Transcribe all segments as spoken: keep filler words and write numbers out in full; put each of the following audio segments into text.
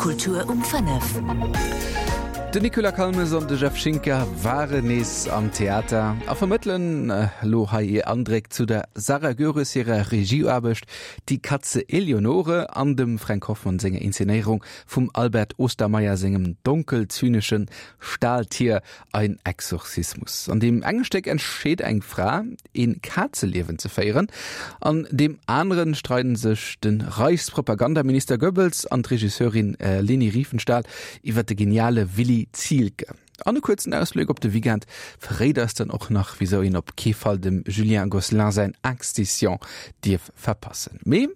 Kultur um fënnef. Den Nicolas Calmes an de Jeff Schinker waren nees am Theater a vermëttelen elo hei hir Andréck zu der Sarah Goeres hirer Regieaarbecht Die Katze Eleonore an dem Fränk Hoffmann senger Inszenéierung vum Albert Ostermeier sengem donkel-zyneschen Stahltier Ein Exorzismus. An deem enge Stéck entscheet eng Fra, een Kazeliewen ze féieren, an deem anere streiden sech de Reichspropagandaminister Goebbels an d'Regisseurin Leni Riefenstahl iwwer de geniale Willy Zielke. An e kuerzen Ausbléck op de Weekend verréit eis dann och nach, wisou een op kee Fall dem Julien Gosselin säin Excision dierf verpassen. Mee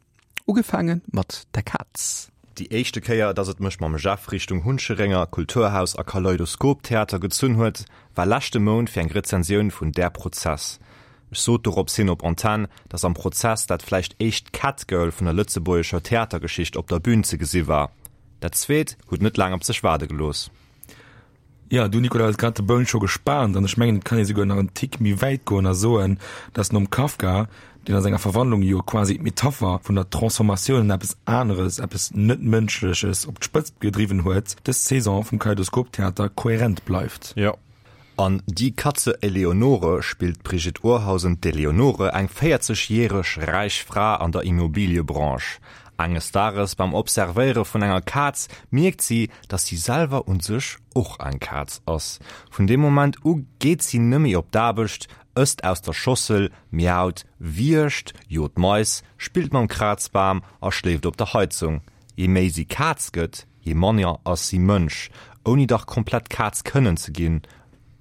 ugefaange mat der Kaz. Déi éischte Kéier, dass et mech mam Jeff Richtung Huncherenger Kulturhaus a Kaleidoskop-Theater gezunn huet, war leschte Mount fir eng Rezensioun vun Der Prozess. Ech sot dorops hin op Antenn, dass am Prozess dat vläicht éischt Catgirl vun der lëtzebuergescher Theatergeschicht op der Bün ze gesi war. Dat zweet huet net laang op sech waarde gelooss. Jo, du Nicolas hues grad de Boun scho gespaant an ech mengen et kann ee souguer nach en Tick méi wäit goen a soen, dass nom Kafka, deen a senger Verwandlung jo quasi d'Metapher vun der Transformatioun an eppes aneres, eppes net-Mënschleches op d'Spëtzt gedriwwen huet, dës Saison vum Kaleidoskop-Theater kohärent bleift. Jo. An Die Katze Eleonore spillt d'Brigitte Urhausen d'Eleonore, eng véierzeg järeg räich Fra an der Immobiliebranche. Enges Dages beim Observéiere vun enger Kaz mierkt si, dass si selwer un sech och eng Kaz ass. Vun deem Moment u geet si nëmme op d'Aarbecht, ësst aus der Schossel, miaut, wiergt, jot Mais, spillt mam Krazbam a schléift op der Heizung. Je méi si Kaz gëtt, je manner ass si Mënsch, ouni dach komplett Kaz kënnen ze ginn,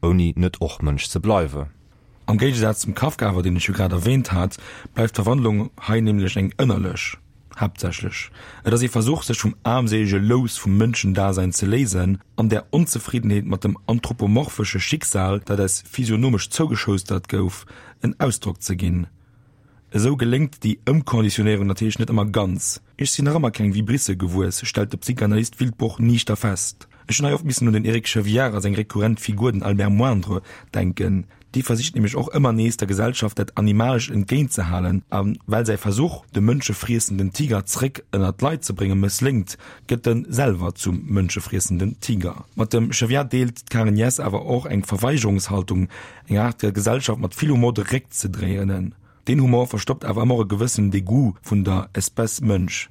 ouni net och Mënsch ze bleiwe. Am Géigesaz zum Kafka awer, deen ech jo grad erwähnt hat, bleift d'Verwandlung hei nämlech eng ënnerlech, haaptsächlech. Et ass ee Versuch, sech vum aarmséilege Lous vum Mënschendasein ze léisen an der Onzefriddenheet mat dem anthropomorphesche Schicksal, dat eis physionomesch zougeschoustert gouf, en Ausdrock ze ginn. Esou geléngt déi Ëmkonditionéierung natierlech net ëmmer ganz. Ech sinn nach ëmmer keng Vibrisse gewuess, stellt de Psychanalyst Wildbruch niichter fest. Ech hunn hei oft missen un den Eric Chevillard a seng rekurrent Figur, den Albert Moindre, denken. Dee versicht nämlech och ëmmer nees, der Gesellschaft dat Animalescht entgéintzehalen. A well säi Versuch, de mënschefriessenden Tiger zréck ënner d'Leit ze bréngen, mëssléngt, gëtt en selwer zum mënschefriessenden Tiger. Mat dem Chevillard deelt d'Karen Jess awer och eng Verweigerungshaltung, eng Aart, der Gesellschaft mat vill Humor de Réck ze dréinen. Deen Humor verstoppt awer ëmmer och e gewëssenen Degoût vun der Espèce Mënsch.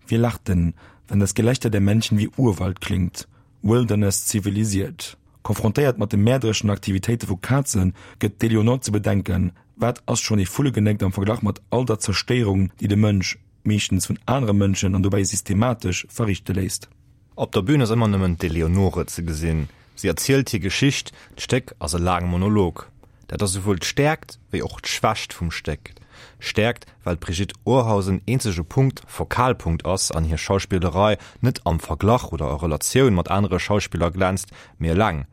Wie lacht denn, wenn das Gelächter der Männchen wie Urwald klingt? Wilderness zivilisiert. Konfrontéiert mat de mäerdereschen Aktivitéite vu Kazen, gëtt d'Eleonore ze bedenken, Wat ass schonn ee Vullegenéckt am Verglach mat all der Zerstéierung, déi de Mënsch, meeschtens vun anere Mënschen an dobäi systematesch, verrichte léisst? Op der Bün ass ëmmer nëmmen d'Eleonore ze gesinn. Si erzielt hir Geschicht, d'Stéck ass e laange Monolog. Dat ass esouwuel d'Stäerkt wéi och d'Schwächt vum Stéck. Stäerkt, well d'Brigitte Urhausen eenzege Punkt, Fokalpunkt ass an hir Schauspillerei net am Verglach oder a Relatioun mat anere Schauspiller glänzt, mee eleng.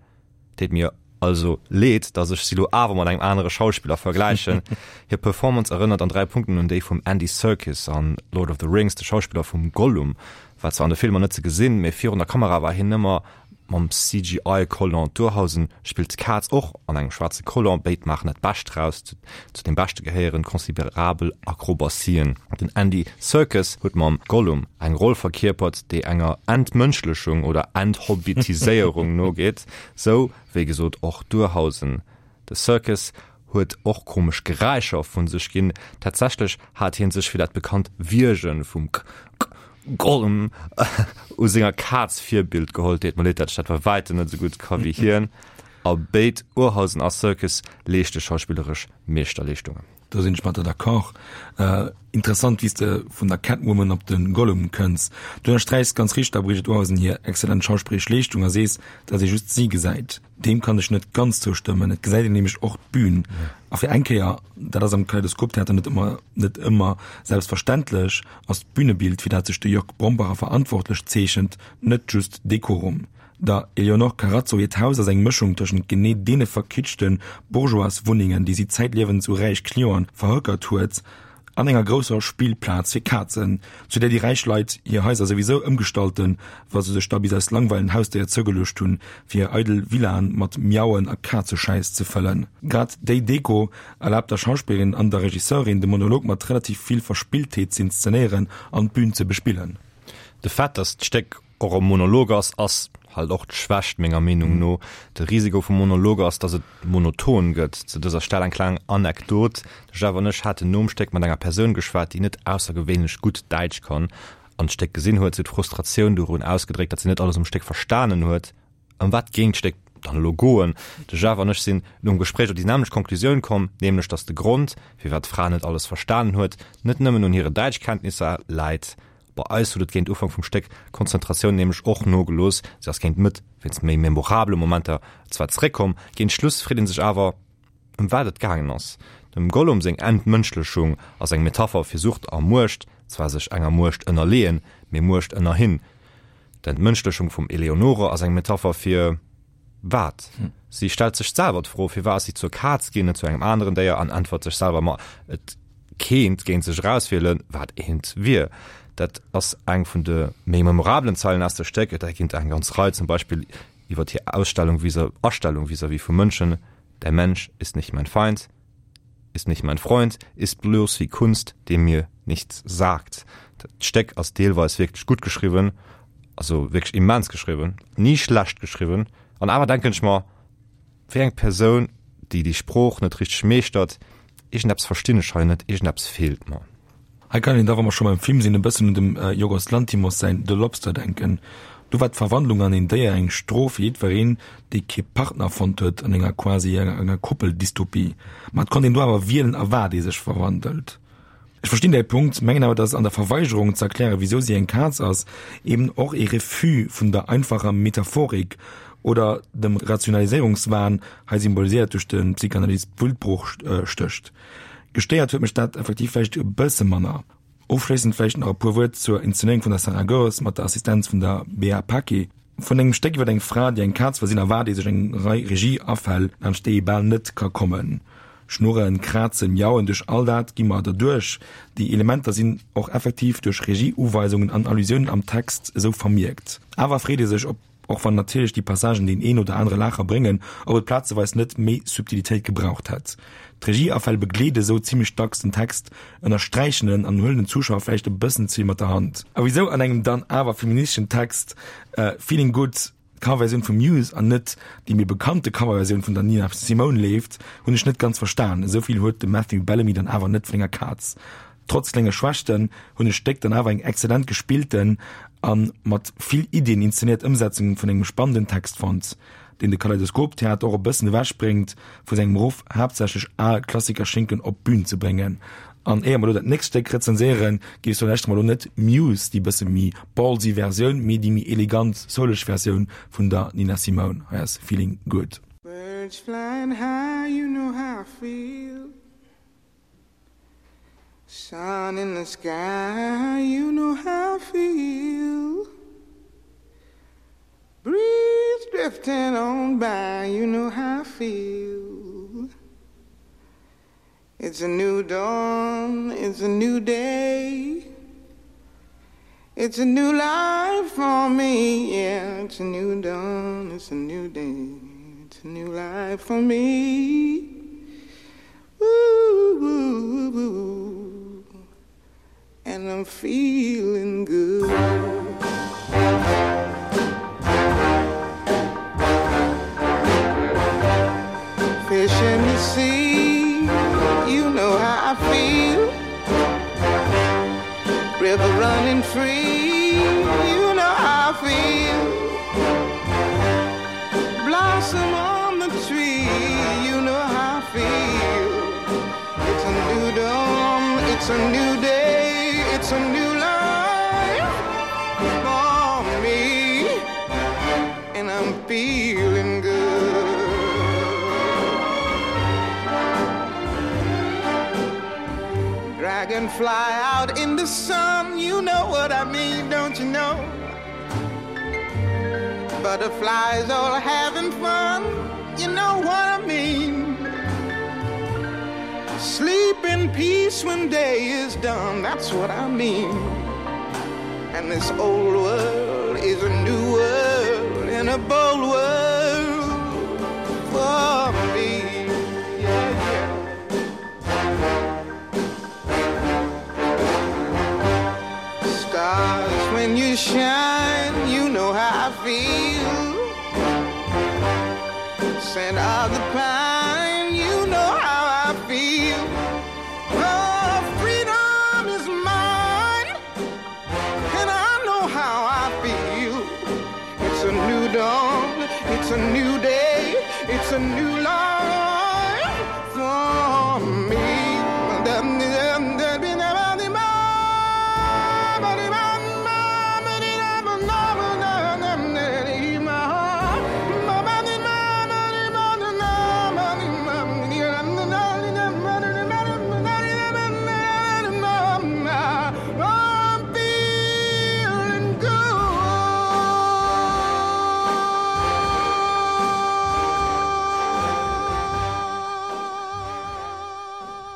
Deet mir also leed, dass ech si lo awer mat engem anere Schauspiller vergläichen. Hir Performance erënnert an dräi Punkten un déi vum Andy Serkis an Lord of the Rings, de Schauspiller vum Gollum war zwar an de Filmer net ze gesinn, mee virun der Kamera war hien ëmmer mam C G I Collant. D'Urhausen spillt d'Kaz och an engem schwaarze Collant. Béid maachen dat Bescht draus. Zu deem Beschte gehéieren considerabel Akrobatien. Den Andy Serkis huet mam Gollum eng Roll verkierpert, déi enger Entmënschlechung oder Enthobbitiséierung nogeet, sou wéi gesot och d'Urhausen. De Serkis huet och komesch Geräischer vu sech ginn. Tatsächlech hat hie sech fir dat bekannt Wiergen vum Gollum u senger Kaz Virbild geholl. Deet mer leed, dat ech dat bei wäitem net esou gutt ka wéi hien. A béid, Urhausen a Serkis, leeschte schauspilleresch Meeschterleeschtungen. Do sinn ech mat der d'accord. Interessant wéi s de vun der Catwoman op de Gollum kënns. Du ënnersträichs ganz richteg der Brigitte Urhausen hir exzellent schauspilleresch Leeschtung a sees, datt ee just si gesäit. Deem kann ech net ganz zoustëmmen. Et gesäit een nämlech och d'Bün. A fir eng Kéier, dat ass am Kaleidoskop-Theater net ëmmer net ëmmer selbstverständlech, ass d'Bünebild, fir dat sech de Jörg Brombacher verantwortlech zeechent, net just Dekorum. Der Eleonore Carazzo hiert Haus ass eng Mëschung tëschent genee deene verkitschte Bourgeoiswunnengen, déi si zäitliewens u räich Clienten verhökert huet, an enger grousser Spillplaz fir Kazen, zu där déi räich Leit hir Haiser souwisou ëmgestalten, wa se sech da bis aus Langweil en Hausdéier zougeluecht hunn, fir hir eidel Villaen mat Miauen a Kazeschäiss ze fëllen. Grad déi Deko erlaabt der Schauspillerin an der Regisseurin, de Monolog mat relativ vill Verspilltheet z'inszenéieren an d'Bün ze bespillen. De Fait, datt d'Stéck och e Monolog ass, ass halt och d'Schwächt menger Meenung no. De Risiko vum Monolog ass, dass et monoton gëtt. Zu dëser Stell eng kleng Anekdot, De Jeff an ech haten nom Stéck mat enger Persoun geschwat, déi net aussergewéinlech gutt Däitsch kann an d'Stéck gesinn huet. Si huet Frustratioun dorun ausgedréckt, datt si net alles um Stéck verstanen huet. Ëm wat géing d'Stéck dann elo goen? De Jeff an ech sinn nom Gespréich op déi nämmlecht Konklusioun komm, nämlech datt de Grond, firwat d'Fra net alles verstanen huet, net nëmmen un hire Däitschkenntnisser läit. Bei eis huet et géint Ufank vum Stéck d'Konzentratioun nämlech och nogelooss, si ass géint d'Mëtt wéinst méi memorabele Momenter zwar zeréckkomm, géint Schluss freet ee sech awer, ëm wat et gaangen ass. Dem Gollum seng Entmënschlechung ass eng Metapher fir Sucht a Muecht, zwar sech enger Muecht ënnerleeën, mee Muecht ënnerhin. D'Entmënschlechung vum Eleonore ass eng Metapher fir wat? Si stellt sech selwer d'Fro, firwat ass si zur Kaz ginn, net zu engem aneren Déier, an äntwert sech selwer, ma et kéint géint sech erauswielen, wat eent wier. Dat ass eng vun de méi memorabelen Zeilen aus dem Stéck. Et ginn der eng ganz Rei, zum Beispill iwwer hir Ausstellung vis Astellung vis-à-vis vu Mënschen, Der Mensch ist nicht mein Feind, ist nicht mein Freund, ist bloß wie Kunst, die mir nichts sagt. Dat Stéck ass deelweis wierklech gutt geschriwwen, also wierklech immens geschriwwen, ni schlecht geschriwwen, an awer denken ech mer, wéi eng Persoun, déi déi Sprooch net richteg meeschtert, iergendeppes verstinn ech hei net, iergendeppes feelt mer. Hei kann een da, wa mer scho beim Film sinn, e bëssen un dem Yorgos Lanthimos säin The Lobster denken. Do war d'Verwandlung an een Déier eng Strof fir jiddwereen, dee kee Partner fonnt huet an enger quasi enger Koppel-Dystopie. Ma et konnt een do awer wielen, a wat ee sech verwandelt. Ech verstinn däi Punkt, mengen awer, dass an der Verweigerung ze erklären, wisou si eng Kaz ass, eben och ee Refus vun der einfacher Metaphorik oder dem Rationaliséierungswahn, hei symboliséiert duerch de Psychanalyst Wildbruch, stécht. Gestéiert huet mech dat effektiv vläicht e bësse manner. Ofschléissend vläicht nach e puer Wuert zur Inszenéierung vun der Sarah Goeres mat der Assistenz vun der Bea Paquet. Vun engem Stéck iwwer eng Fra, déi eng Kaz wëll sinn, erwaart ee sech eng Rei Regie-Afäll, laanscht déi ee bal net ka kommen. Schnurren, Krazen, Miauen, duerch all dat gi mer derduerch. Déi Elementer sinn och effektiv duerch Regie-Uweisungen an Allusiounen am Text esou vermierkt. Awer freet ee sech, ob, och wann natierlech déi Passagen deen een oder anere Laacher bréngen, ob et plazeweis net méi Subtilitéit gebraucht hätt. D'Regie-Afäll begleede sou zimmlech dacks den Text, ënnersträichen en an huelen den Zuschauer vläicht e bëssen ze vill mat der Hand. A wisou an engem dann awer feministeschen Text Feeling Good d'Coverversioun vu Muse an net déi méi bekannte Coverversioun vun der Nina Simone leeft, hunn ech net ganz verstan. Esou vill huet de Matthew Bellamy dann awer net vun enger Kaz. Trotz klenge Schwächten hunn ech d'Stéck dann awer eng exzellent gespillten a mat vill Iddien inszenéiert Ëmsetzung vun engem spannenden Text fonnt, deen de Kaleidoskop Theater och e bëssen ewech bréngt vu sengem Ruff, haaptsächlech al Klassikerschinken op d'Bün ze bréngen. An éier mer elo dat nächst Stéck rezenséieren, géif ech soen, lauschteren mer elo net Muse, déi bësse méi ballsy Versioun, mee déi méi elegant, souleg Versioun vun der Nina Simone. Hei ass Feeling Good. Birds flying high, you know how I feel Sun in the sky, you know how I feel Breeze drifting on by, you know how I feel It's a new dawn, it's a new day It's a new life for me, yeah It's a new dawn, it's a new day It's a new life for me Ooh, ooh, ooh, And I'm feeling good Fish in the sea, you know how I feel River running free, you know how I feel Blossom on the tree, you know how I feel It's a new dawn, it's a new day, it's a new life for me And I'm feeling good Dragonfly out in the sun, you know what I mean, don't you know? Butterflies all having fun, you know what I mean. Sleep in peace when day is done, that's what I mean. And this old world is a new world and a bold world for me. Yeah, yeah. Stars when you shine, you scent of the pine. You know how I feel. Oh, freedom is mine, and I know how I feel. It's a new dawn, it's a new day, it's a new life for me. I'm feeling good.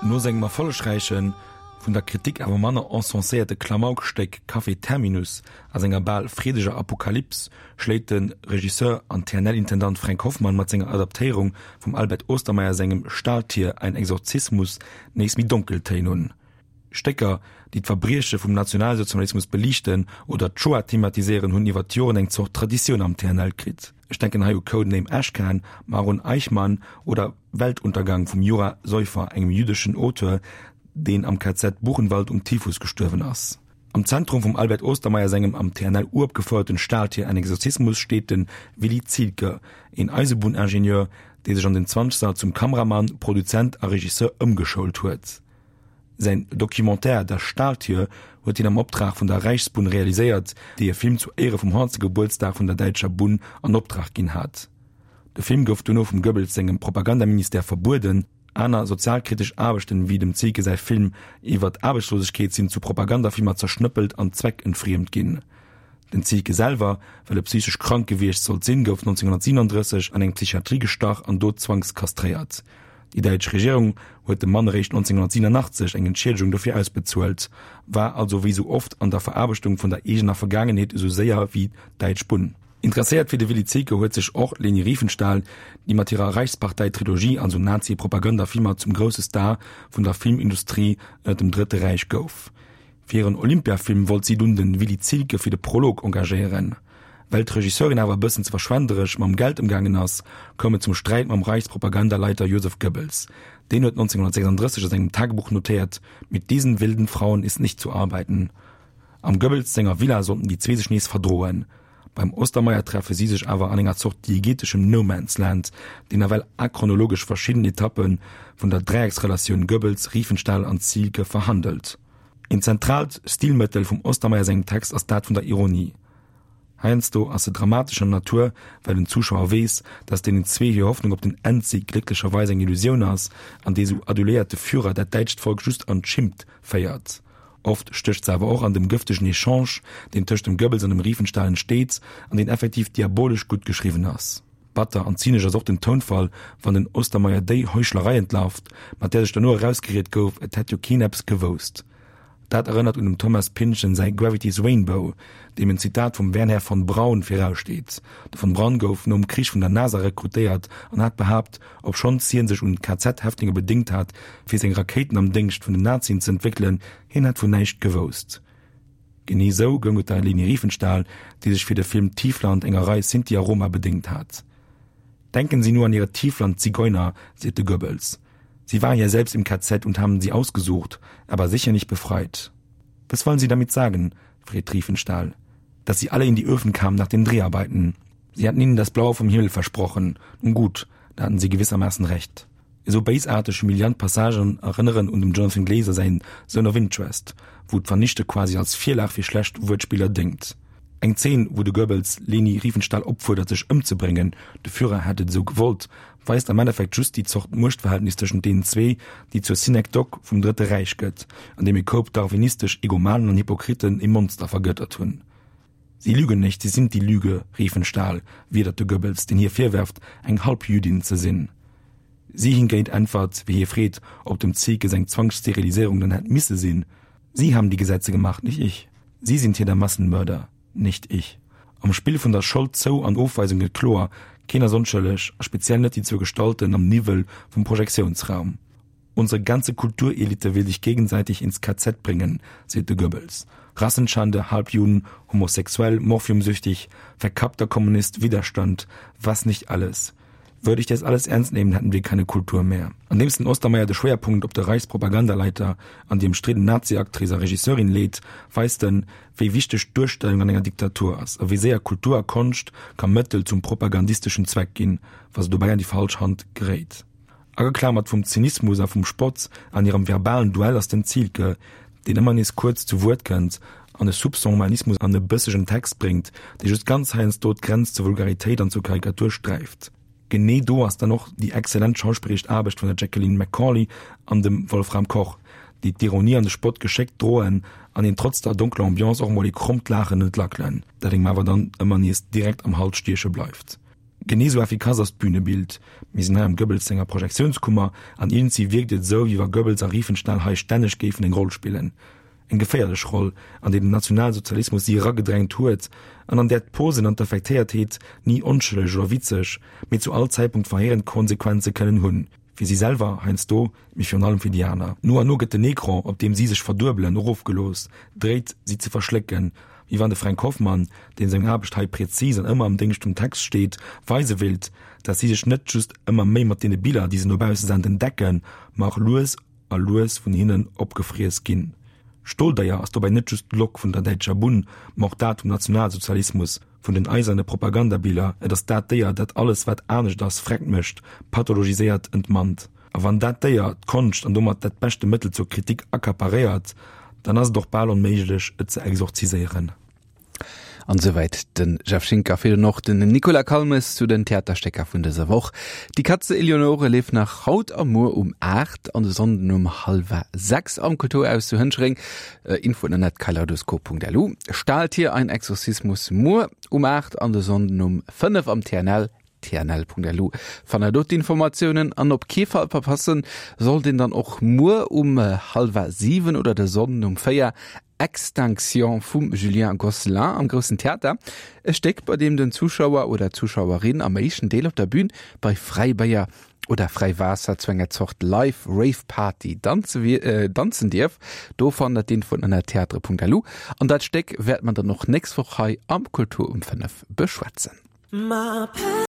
No sengem erfollegräichen, vun der Kritik awer manner encenséierte Klamaukstéck Café Terminus a senger bal freedeger Apokalyps schléit de Regisseur an TNL-Intendant Fränk Hoffmann mat senger Adaptéierung vum Albert Ostermaier sengem Stahltier, ein Exorzismus nees méi donkel Téin un. Stécker, déi d'Verbrieche vum Nationalsozialismus beliichten oder d'Shoah thematiséieren, hunn iwwer d'Joren eng Zort Traditioun am TNL kritt. Ech denken hei u Codename Ashcan, Maron Eichmann oder Weltuntergang vum Jura Soyfer, engem jüddeschen Auteur, deen am K Z Buchenwald um Typhus gestuerwen ass. Am Zentrum vum Albert Ostermaier sengem am T N L uropgefouerten Stahltier, ein Exorzismus steet de Willy Zielke, een Eisebunningenieur, dee sech an den Zwanzeger zum Kameramann, Produzent a Regisseur ëmgeschoult huet. Säin Documentaire Das Stahltier huet hien am Optrag vun der Reichsbunn realiséiert, déi e Film zu Éiere vum honnertste Gebuertsdag vun der däitscher Bunn an Optrag ginn hat. De Film gouf duerno vum Goebbels sengem Propagandaministère verbueden. Aner sozialkritesch Aarbechten, wéi dem Zielke säi Film iwwer d'Aarbechtslosegkeet, sinn zu Propagandafilmer zerschnëppelt an zweckentfriemt ginn. Den Zielke selwer, well e psychesch krank gewiescht sollt sinn, gouf neunzehnhundertsiebenunddrësseg an eng Psychiatrie gestach an do zwangskastréiert. Déi däitsch Regierung huet dem Mann eréischt neunzehnhundertsiebenundachtzeg eng Entschiedegung dofir ausbezuelt, war also wéi sou oft an der Veraarbechtung vun der eegener Vergaangenheet esou séier wéi d'däitsch Bunn. Interesséiert fir de Willy Zielke huet sech och d'Leni Riefenstahl, déi mat hirer Reichspartei-Trilogie, also Nazi-Propagandafilmer, zum grousse Star vun der Filmindustrie ënner dem Drëtte Räich gouf. Fir hiren Olympia-Film wollt si dunn de Willy Zielke fir de Prolog engagéieren. Well d'Regisseurin awer e bëssen ze verschwenderesch mam Geld ëmgaangen ass, koum et zum Sträit mam Reichspropagandaleiter Joseph Goebbels. Deen huet neunzehnhundertsechsunddrësseg a sengem Tagebuch notéiert, Mit diesen wilden Frauen ist nicht zu arbeiten. Am Goebbels senger Villa sollten déi zwee sech nees verdroen. Beim Ostermaier treffe si sech awer an enger Zort diegeteschem No Man's Land, deen nawell achronologesch verschidden Etappe vun der Dräiecksrelatioun Goebbels, Riefenstahl an Zielke verhandelt. Een zentraalt Stilmëttel vum Ostermaier sengem Text ass dat vun der Ironie. Heiansdo ass se dramatescher Natur, well den Zuschauer weess, datt deenen zwee hir Hoffnung op den Endsig glécklecherweis eng Illusioun ass an dee sou aduléierte Führer dat däitscht Volk just an d'Schimmt féiert. Oft stécht se awer och an dem gëftegen Echange, deen tëscht dem Goebbels an dem Riefenstahl entsteet an deen effektiv diabolesch gutt geschriwwen ass. Batter an zynesch ass och den Tounfall, wann den Ostermaier déi Heuchlerei entlarvt, mat där sech duerno erausgeriet gouf, et hätt jo keen eppes gewousst. Dat erënnert un dem Thomas Pynchon säi Gravity's Rainbow, deem en Zitat vum Wernher von Braun viraussteet. De von Braun gouf nom Krich vun der NASA rekrutéiert an hat behaapt, obschonns hien sech un K Z-Häftlinge bedéngt hat, fir seng Rakéiten am Déngscht vun den Nazien ze entwéckelen, hien hätt vun näischt gewousst. Genee sou goung et der Leni Riefenstahl, déi sech fir de Film Tiefland enger Rei Sinti a Roma bedéngt hat. Denken Sie nur an Ihre Tiefland-Zigeuner, seet de Goebbels. Sie waren ja selbst im K Z und haben sie ausgesucht, aber sicher nicht befreit. Was wollen Sie damit sagen? Freet Riefenstahl. Dass sie alle in die Öfen kamen nach den Dreharbeiten. Sie hatten ihnen das Blaue vom Himmel versprochen. Nun gut, da hatten sie gewissermaßen recht. Esou béisaarteg humiliant Passagen erënneren un dem Jonathan Glazer säin Zone of Interest, wou d'Vernichte quasi als Virlag fir schlecht Wuertspiller déngt. Eng Zeen, wou de Goebbels Leni Riefenstahl opfuerdert sech ëmzebréngen, de Führer hätt et esou gewollt, weist am Endeffekt just déi Zort Muechtverhältnis tëschent deenen zwee, déi zur Synekdoche vum Drëtte Räich gëtt, an deem e Koup darwinistesch Egomanen an Hypokriten e Monster vergëttert hunn. Sie lügen nicht, sie sind die Lüge, Riefenstahl, widert de Goebbels, deen hir virwerft, eng Halbjüdin ze sinn. Si hingéint äntwert, wéi hie freet, ob dem Zielke seng Zwangssteriliséierung dann hätt misse sinn: Sie haben die Gesetze gemacht, nicht ich. Sie sind hier der Massenmörder, nicht ich. Am Spill vun der Schold zou an Ofweisung gëtt kloer, keen ass onschëlleg, a speziell net déi zwou Gestalten am Niwwel vum Projektiounsraum. Unsere ganze Kulturelite will sich gegenseitig ins K Z bringen, seet de Goebbels. Rassenschande, Halbjuden, homosexuell, morphiumsüchtig, verkappter Kommunist, Widerstand, was nicht alles. Würde ich das alles ernst nehmen, hätten wir keine Kultur mehr. Andeems den Ostermeier de Schwéierpunkt op de Reichspropagandaleiter an déi ëmstridden Nazi-Actrice a Regisseurin leet, weist en, wéi wichteg d'Duerstellung an enger Diktatur ass a wéi séier Kultur a Konscht ka Mëttel zum propagandisteschen Zweck ginn, wa se dobäi an déi falsch Hand geréit. Ageklamert vum Zynismus a vum Spott an hirem verbalen Duell ass den Zielke, deen ëmmer nees kuerz zu Wuert kënnt an e Soupçon Humanismus an e bëssegen Text bréngt, dee just ganz heiansdo d'Grenz zur Vulgaritéit an zur Karikatur sträift. Genee do ass dann och déi exzellent schauspilleresch Aarbecht vun der Jacqueline McCauley an dem Wolfram Koch, déi d'Ironie an de Spott geschéckt droen an een trotz der donkeler Ambiance och mol ee krommt Laachen entlackelen, dat engem awer dann ëmmer nees direkt am Hals stieche bleift. Genee sou effikass ass d'Bünebild. Mir sinn hei am Goebbels senger Projektiounskummer an iergendwéi wierkt et esou, wéi wa Goebbels a Riefenstahl hei stänneg géifen eng Roll spillen. Eng geféierlech Roll, an déi den Nationalsozialismus si eragedrängt huet an an där d'Posen an d'Affektéiertheet ni onschëlleg oder witzeg, mee zu all Zäitpunkt verheerend Konsequenze kënnen hunn. Fir si selwer heiansdo, mee virun allem fir déi aner. No an no gëtt den Ecran, op deem si sech verduebelen, erofgelooss, dréit si ze verschlécken, wéi wann de Fränk Hoffmann, deen seng Aarbecht hei präzis an ëmmer am Déngscht vum Text steet, weise willt, datt si sech net just ëmmer méi mat deene Biller, déi se no bausse senden, decken, ma och lues a lues vun hinnen opgefriess ginn. D'Stoldéier ass dobäi net just d'Lok vun der däitscher Bunn, ma och dat vum Nationalsozialismus, vun den eiserne Propagandabiller, et ass dat Déier, dat alles, wat anescht ass, vreckt mécht, pathologiséiert, entmannt. A wann dat Déier d'Konscht an domat dat beschte Mëttel zur Kritik accaparéiert, dann ass et och bal onméiglech, et ze exorziséieren. An esouwäit de Jeff Schinker, virdrun och den Nicolas Calmes zu den Theaterstécker vun dëser Woch. Die Katze Eleonore leeft nach haut a muer um aacht an de Sonnden um hallwer sechs am Kulturhaus zu Hënchereng. Infoen ënnert kaleidoskop.lu. Stahltier, ein Exorzismus muer um aacht an de Sonnden um fënnef am T N L. tnl.lu fannt der do d'Informatiounen an op kee Fall verpassen sollt een dann och muer um hallwer siwen oder de Sonnden um véier Extinction vum Julien Gosselin am Groussen Theater. E Stéck, bei deem den Zuschauer oder d'Zuschauerin am éischten Deel op der Bühn bei Fräibéier oder Fräiwaasser zu enger Zort Live Rave Party danzen dierf. Do fannt der d'Infoen ënner theatre.lu an dat Stéck wäert mer dann och nächst Woch hei am Kultur um fënnef beschwätzen.